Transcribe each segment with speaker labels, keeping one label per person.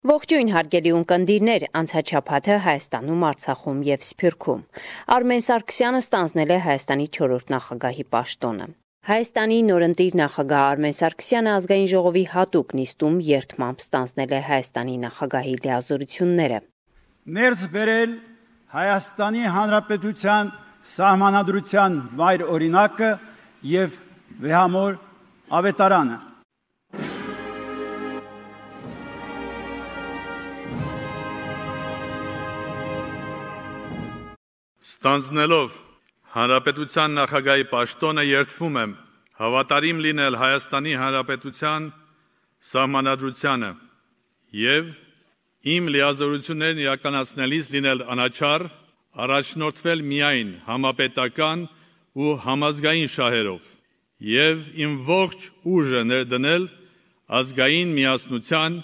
Speaker 1: Ողջույն հարգելի ունկնդիրներ, անցաչափաթը Հայաստանում, Արցախում եւ Սփյուռքում։ Արմեն Սարգսյանը ստանձնել է Հայաստանի 4-րդ նախագահի պաշտոնը։ Հայաստանի նորընտիր նախագահ Արմեն Սարգսյանը ազգային ժողովի հատուկ նիստում երդմամբ ստանձնել է Հայաստանի նախագահի լիազորությունները։
Speaker 2: Ներս բերել Հայաստանի Հանրապետության սահմանադրության վայր օրինակը եւ վեհամոր ավետարանը։
Speaker 3: Ստանձնելով Հանրապետության նախագահի պաշտոնը երդվում եմ հավատարիմ լինել Հայաստանի Հանրապետության սահմանադրությանը եւ իմ լիազորություններն իրականացնելիս լինել անաչառ, առաջնորդվել միայն համապետական ու համազգային շահերով եւ իմ ողջ ուժը ներդնել ազգային միասնության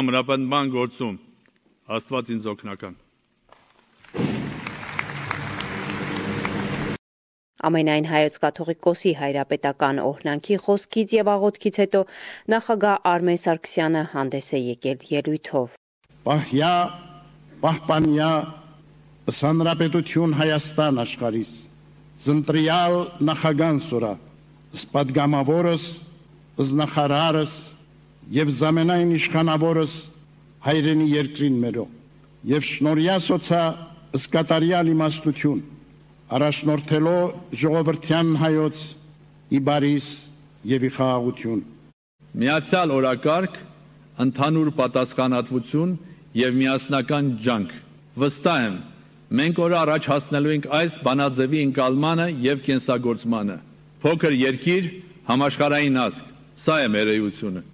Speaker 3: ամրապնդման գործում։ Աստված ինձ օգնական։
Speaker 1: Ամենայն հայոց կաթողիկոսի հայրապետական օրհնանքի խոսքից եւ աղոթքից հետո նախագահ Արմեն Սարգսյանը հանդես է եկել ելույթով։
Speaker 4: Պահյա, պահպանյա, Հանրապետություն Հայաստան աշխարհիս, ծնտրյալ նախագահ սորա, սպադգամավորս, զնախարարս եւ զամենայն իշխանավորս հայրենի երկրին մերո, եւ շնորհյա սոցա սկատարյալ իմաստություն, առաջնորդելով ժողովրդյան հայոց իբարիս եւ իխաղաղություն։
Speaker 5: Միացյալ օրակարգ, ընդհանուր պատասխանատվություն եւ միասնական ջանք։ Վստահ եմ, մենք օր առաջ հասնելու ենք այս բանաձևի ընկալմանը եւ կենսագործմանը։ Փոքր երկիր, համաշխարհային ազգ, սա է մեր էությունը։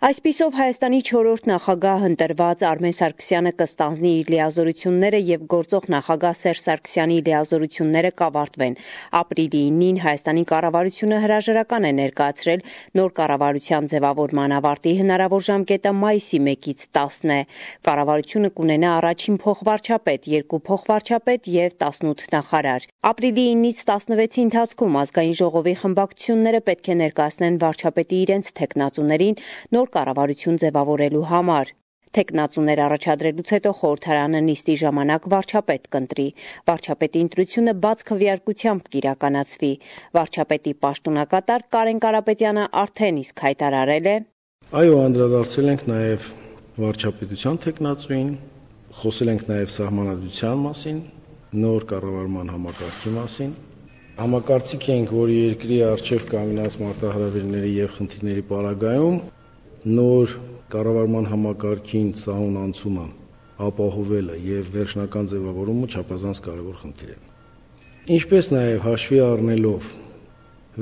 Speaker 1: Այսպիսով Հայաստանի 4-րդ նախագահ ընտրված Արմեն Սարգսյանը կստանձնի իր լիազորությունները եւ գործող նախագահ Սերժ Սարգսյանի լիազորությունները կավարտվեն։ Ապրիլի 9-ին Հայաստանի կառավարությունը հրաժարական է ներկայացրել նոր կառավարության ձևավորման ավարտի հնարավոր ժամկետը մայիսի 1-ից 10 է։ Կառավարությունը կունենա առաջին փոխվարչապետ, 2 փոխվարչապետ եւ 18 նախարար։ Ապրիլի 9-ից 16-ի ընթացքում ազգային ժողովի խմբակցությունները պետք է ներկայացնեն վարչապետի իրենց թեկնածուներին նոր կառավարություն ձևավորելու համար։ Թեկնածուներ առաջադրելուց հետո խորհրդարանը նիստի ժամանակ վարչապետ կընտրի։ Վարչապետի ընտրությունը բաց քվեարկությամբ կիրականացվի։ Վարչապետի պաշտոնակատար Կարեն Կարապետյանը արդեն իսկ հայտարարել է.
Speaker 6: Այո, անդրադարձել ենք նաև վարչապետության թեկնածուին, խոսել ենք նաև սահմանադրության մասին, նոր կառավարման համակարգի մասին։ Համակարծիք ենք, որ երկրի առջև կանգնած մարտահրավերների եւ խնդիրների պարագայում նոր կառավարման համակարգին սահուն անցումը ապահովելը եւ վերջնական ձևավորումը չափազանց կարեւոր խնդիր է։ Ինչպես նաեւ հաշվի առնելով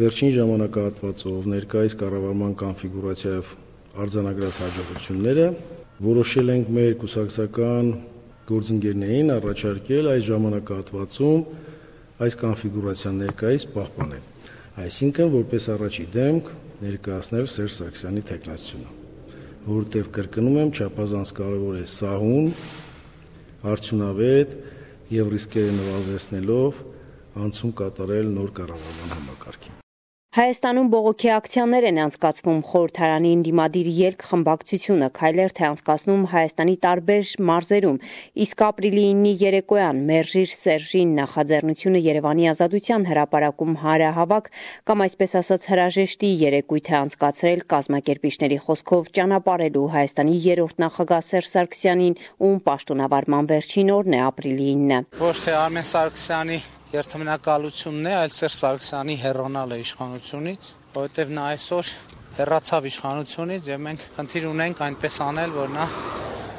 Speaker 6: վերջին ժամանակահատվածով ներկայիս կառավարման կոնֆիգուրացիայով արձանագրած հաջողությունները, որոշել ենք մեր կուսակցական գործընկերներին առաջարկել այս ժամանակահատվածում այս կոնֆիգուրացիան ներկայիս պահպանել։ Այսինքն, որպես առաջի դեմք ներկայացնել Սերժ Սարգսյանի թեկնածությունը, որտեղ կրկնում եմ, չափազանց կարևոր է սահուն, արդյունավետ եւ ռիսկերը նվազեցնելով անցում կատարել նոր կառավարման համակարգին։
Speaker 1: Հայաստանում բողոքի ակցիաներ են անցկացվում խորհրդարանի ընդդիմադիր ելք խմբակցությունը քայլերթ է անցկացնում Հայաստանի տարբեր մարզերում, իսկ ապրիլի 9-ի երեկոյան Մերժիր Սերժին նախաձեռնությունը Երևանի Ազատության հրապարակում հանրահավաք կամ այսպես ասած հրաժեշտի երեկույթ է անցկացրել կազմակերպիչների խոսքով ճանապարհելու Հայաստանի 3-րդ նախագահ Սերժ Սարգսյանին, ում պաշտոնավարման վերջին օրն է ապրիլի 9-ը։
Speaker 7: Ոչ թե Արմեն Սարգսյանի երթմնակալությունն է, այլ Սերժ Սարգսյանի հեռանալը իշխանությունից, որովհետև նա այսօր հեռացավ իշխանությունից եւ մենք խնդիր ունենք այնպես անել, որ նա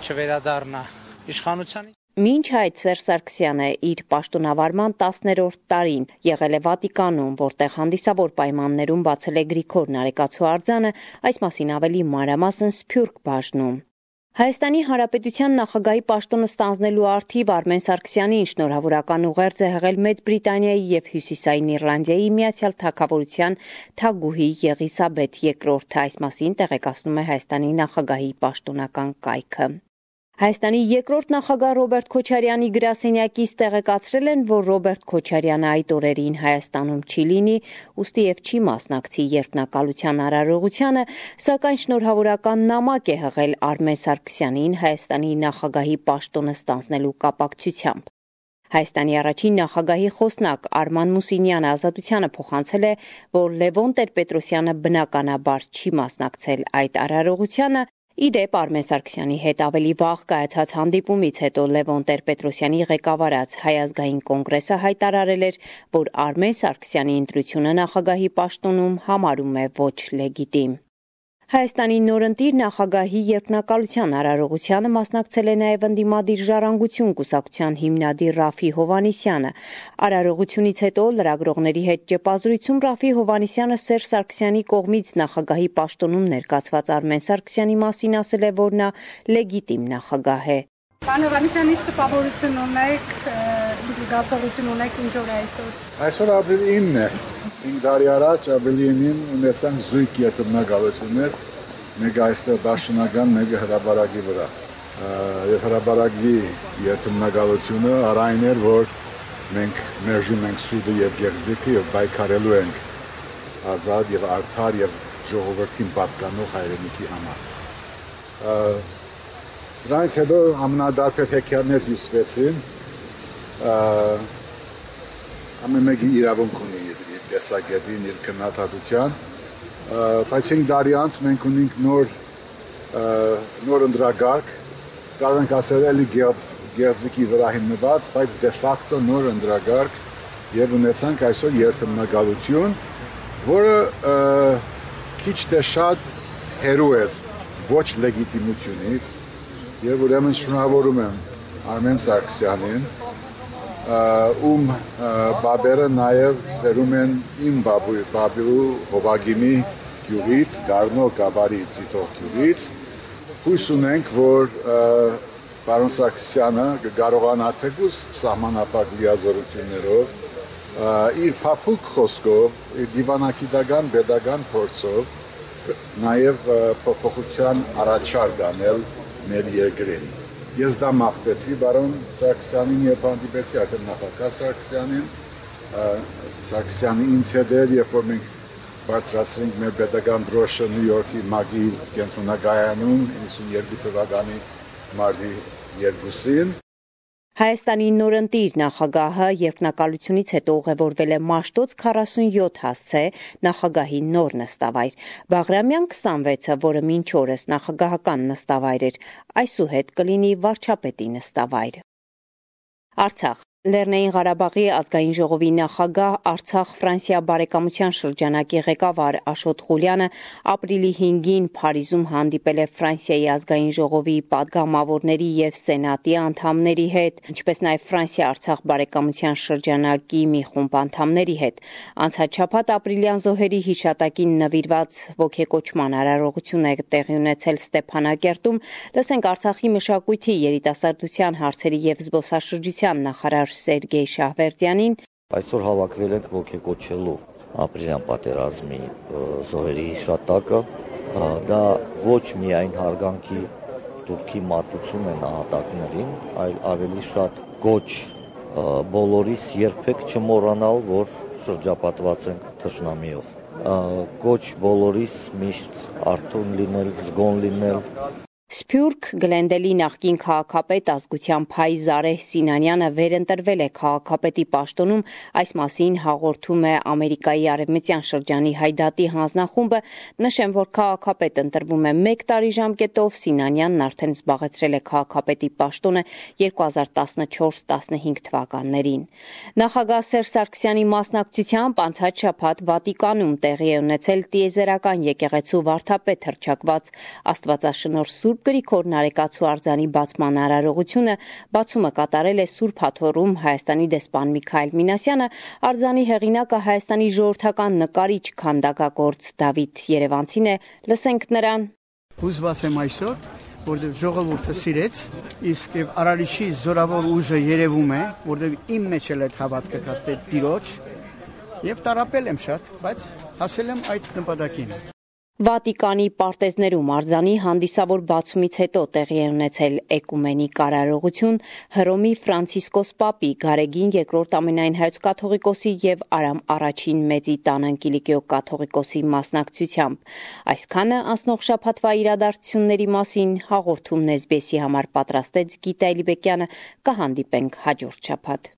Speaker 7: չվերադառնա իշխանությանից։
Speaker 1: Մինչ այդ Սերժ Սարգսյանը իր պաշտոնավարման 10-րդ տարին եղել է Վատիկանում, որտեղ հանդիսավոր պայմաններում բացել է Գրիգոր Նարեկացու արձանը, այս մասին ավելի մանրամասն Սփյուռք բաժնում։ Հայաստանի Հանրապետության նախագահի պաշտոնը ստանձնելու առթիվ Արմեն Սարգսյանին շնորհավորական ուղերձ է հղել Մեծ Բրիտանիայի եւ Հյուսիսային Իռլանդիայի Միացյալ Թագավորության թագուհի Եղիսաբեթ II-ը, այս մասին տեղեկացնում է Հայաստանի նախագահի պաշտոնական կայքը։ Հայաստանի երկրորդ նախագահ Ռոբերտ Քոչարյանի գրասենյակից տեղեկացրել են, որ Ռոբերտ Քոչարյանը այդ օրերին Հայաստանում չի լինի, ուստի եւ չի մասնակցի երդմնակալության արարողությանը, սակայն շնորհավորական նամակ է հղել Արմեն Սարգսյանին Հայաստանի նախագահի պաշտոնը ստանձնելու կապակցությամբ։ Հայաստանի առաջին նախագահի խոսնակ Արման Մուսինյանը Ազատությանը փոխանցել է, որ Լևոն Տեր-Պետրոսյանը բնականաբար չի մասնակցել այդ արարողությանը։ Ի դեպ Արմեն Սարգսյանի հետ ավելի վաղ կայացած հանդիպումից հետո Լևոն Տեր-Պետրոսյանի ղեկավարած Հայ ազգային կոնգրեսը հայտարարել էր, որ Արմեն Սարգսյանի ընտրությունը նախագահի պաշտոնում համարում է ոչ լեգիտիմ։ Հայաստանի նորընտիր նախագահի երդմնակալության արարողությանը մասնակցել է նաև ընդդիմադիր ժառանգություն կուսակցության հիմնադիր Ռաֆի Հովհաննիսյանը։ Արարողությունից հետո լրագրողների հետ ճեպազրույցում Ռաֆի Հովհաննիսյանը Սերժ Սարգսյանի կողմից նախագահի պաշտոնում ներկայացված Արմեն Սարգսյանի մասին ասել է, որ նա լեգիտիմ նախագահ է։
Speaker 8: Պարոն Հովհաննիսյան, ինչ տպավորություն ունեք, ինչ զգացողություն ունեք ինչ օր այսօր։
Speaker 9: Այսօր ապրիլի 9-ն է։ 5 տարի առաջ ապրիլի 9-ին ունեցանք զույգ երդմնակալություններ, մեկը այստեղ Դաշնական, մեկը հրապարակի վրա։ Եվ հրապարակի երդմնակալությունը առայն էր, որ մենք մերժում ենք սուդը եւ գեղձիկը եւ պայքարելու ենք ազատ եւ արդար եւ ժողովրդին պատկանող հայրենիքի համար։ Դրանից հետո ամենադարբեր հեքիաթներ հյուսվեցին, ամեն մեկի իրավունք ունի իր տեսակետին, իր քննադատության, բայց 5 տարի անց մենք ունենք նոր ընդրագարկ, կարող ենք ասել էլի գեղձիկի վրա հիմնված, բայց դե ֆակտո նոր ընդրագարկ եւ ունեցանք այսօր երդմնակալություն, որը քիչ թե շատ հերու էր ոչ լեգիտիմությունից եւ ուրեմն շնորհավորում եմ Արմեն Սարգսյանին, ում բաբերը նաեւ սերում են իմ բաբու Հովագիմի գյուղից, Գառնո Գավառի Ցիտող գյուղից։ Հույս ունենք, որ պարոն Սարգսյանը կկարողանա թեկուզ սահմանափակ լիազորություններով, իր փափուկ խոսքով, իր դիվանագիտական pedagogan փորձով նաեւ փոփոխության առաջարկ անել մեր երկրին։ Ես դա մաղթեցի պարոն Սարգսյանին եւ հանդիպեցի արդեն նախագահ Սարգսյանի ինձ հետ էր, երբ որ մենք բարձրացրինք մեր pedagogan դրոշը Նյու Յորքի ՄԱԳ-ի կենտրոնագայանում 92 թվականի մարտի 2-ին։
Speaker 1: Հայաստանի նորընտիր նախագահը երդմնակալությունից հետո ուղևորվել է Մաշտոց 47 հասցե նախագահի նոր նստավայր։ Բաղրամյան 26-ը, որը մինչ օրս նախագահական նստավայր էր, այսուհետ կլինի վարչապետի նստավայր։ Արցախ Լեռնային Ղարաբաղի ազգային ժողովի նախագահ Արցախ-Ֆրանսիա բարեկամության շրջանակի ղեկավար Աշոտ Ղուլյանը ապրիլի 5-ին Փարիզում հանդիպել է Ֆրանսիայի ազգային ժողովի падգամավորների եւ սենատի անդամների հետ, ինչպես նաեւ Ֆրանսիա-Արցախ բարեկամության շրջանակի մի խումբ անդամների հետ։ Անցած շաբաթ ապրիլյան զոհերի հիշատակին նվիրված ոգեկոչման արարողություն է տեղի ունեցել Ստեփանակերտում։ Լսենք Արցախի մշակույթի, երիտասարդության հարցերի եւ զբոսաշրջության նախարար Սերգեյ Շահվերդյանին
Speaker 10: այսօր հավաքվել ենք ոգեկոչելու ապրիլյան պատերազմի զոհերի հիշատակը, դա ոչ միայն հարգանքի դուրքի մատուցում է նահատակներին, այլ ավելի շատ կոչ բոլորիս երբեք չմոռանալ, որ շրջապատված ենք թշնամիով, կոչ բոլորիս միշտ արթուն լինել, զգոն լինել։
Speaker 1: Սփյուռք Գլենդելի նախկին քաղաքապետ ազգության Փայ Զարեհ Սինանյանը վերընտրվել է քաղաքապետի պաշտոնում, այս մասին հաղորդում է Ամերիկայի արևմտյան շրջանի Հայդատի հանձնախումբը, նշեմ, որ քաղաքապետ ընտրվում է 1 տարի ժամկետով, Սինանյանն արդեն զբաղեցրել է քաղաքապետի պաշտոնը 2014-15 թվականներին։ Նախագահ Սերժ Սարգսյանի մասնակցությամբ անցած շաբաթ Վատիկանում տեղի է ունեցել տիեզերական եկեղեցու վարդապետ հռչակված Աստվածաշնորհ Սուրբ Գրիգոր Նարեկացու արձանի բացման արարողությունը, բացումը կատարել է Սուրբ Հաթոռում Հայաստանի դեսպան Միքայել Մինասյանը, արձանի հեղինակը Հայաստանի ժողովրդական նկարիչ քանդակագործ Դավիթ Երևանցին է, լսենք նրան։
Speaker 11: Հուզված եմ այսօր, որտեղ ժողովուրդը սիրեց, իսկ արարիչի զորավոր ուժը երևում է, որտեղ իմ մեջ էլ այդ հավատքը կա Տիրոջ, եւ տարապել եմ շատ, բայց հասել եմ այդ նպատակին։
Speaker 1: Վատիկանի պարտեզներում արձանի հանդիսավոր բացումից հետո տեղի է ունեցել էկումենիկ արարողություն Հռոմի Ֆրանցիսկոս Պապի, Գարեգին II ամենայն հայոց կաթողիկոսի եւ Արամ I մեծի տան Անկիլիկիո կաթողիկոսի մասնակցությամբ։ Այսքանը անցնող շաբաթվա իրադարձությունների մասին հաղորդումն SBS-ի համար պատրաստեց Գիտա Էլիբեկյանը, կհանդիպենք հաջորդ շաբաթ։